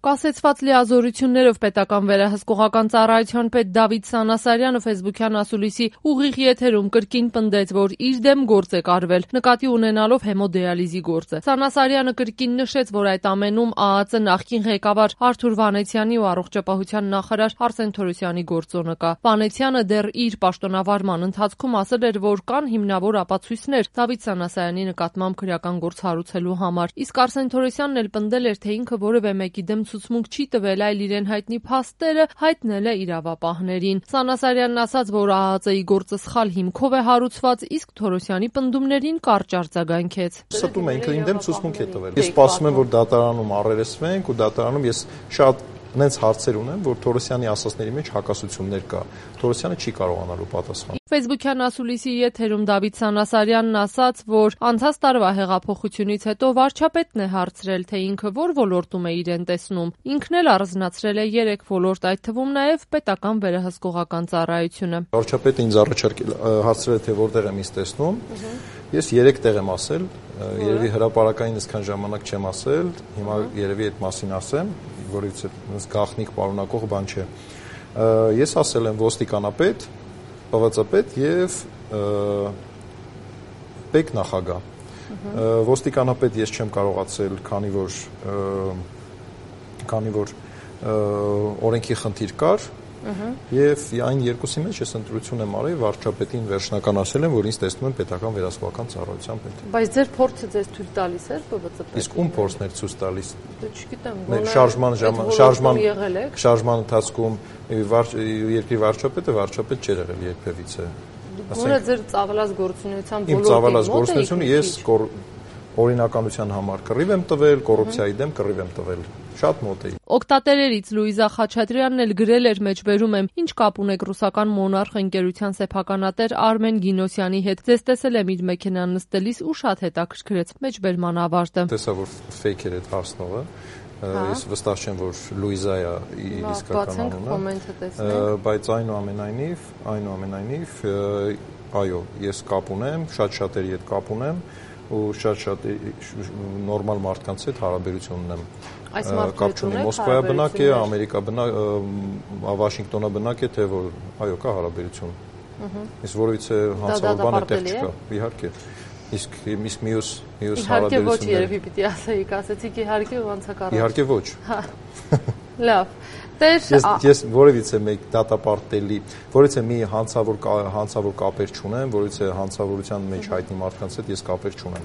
Կասեցված լիազորություններով պետական վերահսկողական ծառայության պետ Դավիթ Սանասարյանը ֆեյսբուքյան ասուլիսի ուղիղ եթերում կրկին պնդեց, որ իր դեմ գործ է կարվել, նկատի ունենալով հեմոդիալիզի գործը։ Սանասարյանը կրկին նշեց, որ այդ ամենում ԱԱԾ նախկին ղեկավար Արթուր Վանեցյանի ու առողջապահության նախարար Արսեն Թորոսյանի գործոնը կա։ Վանեցյանը դեռ իր պաշտոնավարման ընթացքում ասել էր, որ կան հիմնավոր ապացույցներ Դավիթ Սանասարյանի նկատմամբ քրեական գործ հարուցելու համար։ Իսկ Արսեն Թորոսյանն էլ պնդել էր, թե ինքը որևէ մեկի դեմ ցուցմունք չի տվել, այլ իրեն հայտնի փաստերը հայտնել է իրավապահներին։ Սանասարյանն ասաց, որ ԱԱԾ-ի գործը սխալ հիմքով է հարուցված, իսկ Թորոսյանի պնդումներին կարճ արձագանքեց։ Ստում է, ինքը ինձ դեմ ցուցմունք է տվել։ Ես սպասում եմ, որ դատարանում առերեսվենք ու դատարանում ես շատ նենց հարցեր ունեմ, որ Թորոսյանի ասածների մեջ հակասություններ կա։ Թորոսյանը չի կարողանալու պատասխանել։ Ֆեյսբուքյան ասուլիսի եթերում Դավիթ Սանասարյանն ասաց, որ անցած տարվա հեղափոխությունից հետո վարչապետն է հարցրել, թե ինքը որ ոլորտում է իրեն տեսնում։ Ինքն էլ առանձնացրել է 3 ոլորտ, այդ թվում նաև պետական վերահսկողական ծառայությունը։ Վարչապետը ինձ հարցրել է, թե որտեղ եմ ինձ տեսնում։ Ես 3 տեղ եմ ասել, երևի հրապարակային այսքան ժամանակ չեմ ասել, հիմա երևի այդ մասին ասեմ, որից գաղտնիք պարունակող բան չէ։ Ես ասել եմ ոստիկանապետ, ՊՎԾ-պետ եւ պետ նախագահ։ Ոստիկանապետ ես չեմ կարողացել, քանի որ օրենքի խնդիր կար, եւ այն երկուսի մեջ ես ընտրություն եմ արել, վարչապետին վերջնական ասել եմ, որ ինձ տեսնում եմ պետական վերահսկողական ծառայության պետ։ Բայց ձեր փորձը ձեզ թույլ տալիս էր ՊՎԾ-պետ։ Իսկ ում փորձն էր ցույց տալիս։ Չգիտեմ, շարժման ընթացքում երկրի վարչապետը չէր եղել երբևիցե։ Գոնե ձեր ծավալած գործունեության Իմ ծավալած գործունեությունը ես օրինականության համար կռիվ եմ տվել, կոռուպցիայի դեմ կռիվ եմ տվել։ Շատ մոտ էի։ Օգտատերերից Լուիզա Խաչատրյանն էլ գրել էր մեջբերում եմ, ինչ կապ ունեք ռուսական Մոնարխ ընկերության սեփականատեր Արմեն Գինոսյանի հետ։ Ձեզ տեսել եմ իր մեքենան նստելիս ու շատ հետաքրքրեց մեջբերման ավարտը։ Տեսա, որ ֆեյք էր այդ հարցնողը։ Ես վստահ չեմ, որ Լուիզա է իսկական անունը, բայց այնուամենայնիվ, այո, ես կապ ունեմ, շատ-շատերի հետ կապ ունեմ ու շատ նորմալ մարդկանց հետ հարաբերություն ունեմ։ Կապ չունի, Մոսկվայա բնակ է, Ամերիկա բնակ, Վաշինգտոնա բնակ է, թե որ այո, կա հարաբերություն։ Իսկ որովհետեւ հանցավոր բան այդտեղ չկա, իհարկե։ Իսկ մյուս հարաբերությունները։ Իհարկե ոչ, երևի պիտի ասեիք, ասեցիք իհարկե ու անցակառակ։ Իհարկե ոչ։ Լավ։ Ես որևիցե մեկ դատապարտելի, որևիցե մի հանցավոր կապեր չունեմ, որևիցե հանցավորության մեջ հայտնի մարդկանց հետ ես կապեր չունեմ։